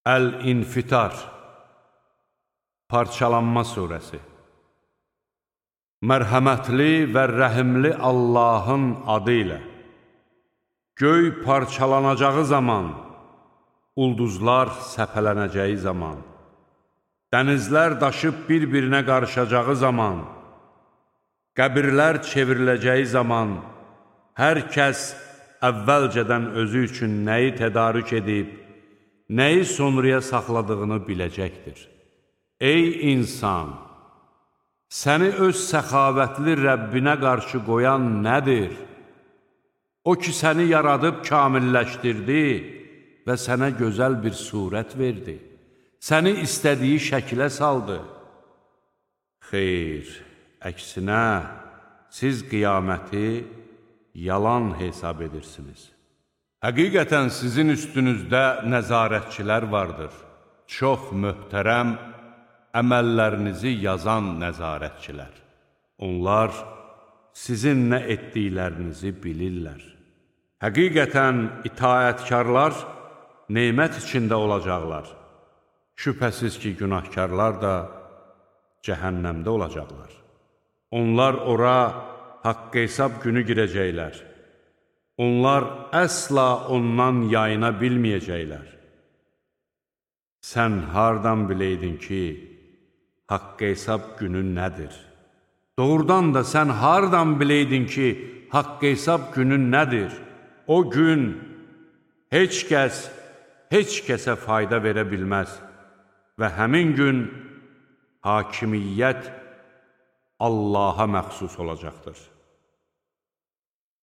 Əl-İnfitar, Parçalanma surəsi. Mərhəmətli və rəhimli Allahın adı ilə. Göy parçalanacağı zaman, ulduzlar səpələnəcəyi zaman, dənizlər daşıb bir-birinə qarışacağı zaman, qəbirlər çevriləcəyi zaman, hər kəs əvvəlcədən özü üçün nəyi tədarük edib, nəyi sonraya saxladığını biləcəkdir. Ey insan! Səni öz səxavətli Rəbbinə qarşı qoyan nədir? O ki, səni yaradıb kamilləşdirdi və sənə gözəl bir surət verdi. Səni istədiyi şəkilə saldı. Xeyr, əksinə, siz qiyaməti yalan hesab edirsiniz. Həqiqətən sizin üstünüzdə nəzarətçilər vardır. Çox möhtərəm, əməllərinizi yazan nəzarətçilər. Onlar sizin nə etdiklərinizi bilirlər. Həqiqətən itaətkarlar nemət içində olacaqlar. Şübhəsiz ki, günahkarlar da cəhənnəmdə olacaqlar. Onlar ora haqq hesab günü girəcəklər. Onlar əsla ondan yayına bilməyəcəklər. Sən hardan biləydin ki, haqq hesab günü nədir? Doğrudan da sən hardan biləydin ki, haqq hesab günü nədir? O gün heç kəs, heç kəsə fayda verə bilməz və həmin gün hakimiyyət Allaha məxsus olacaqdır.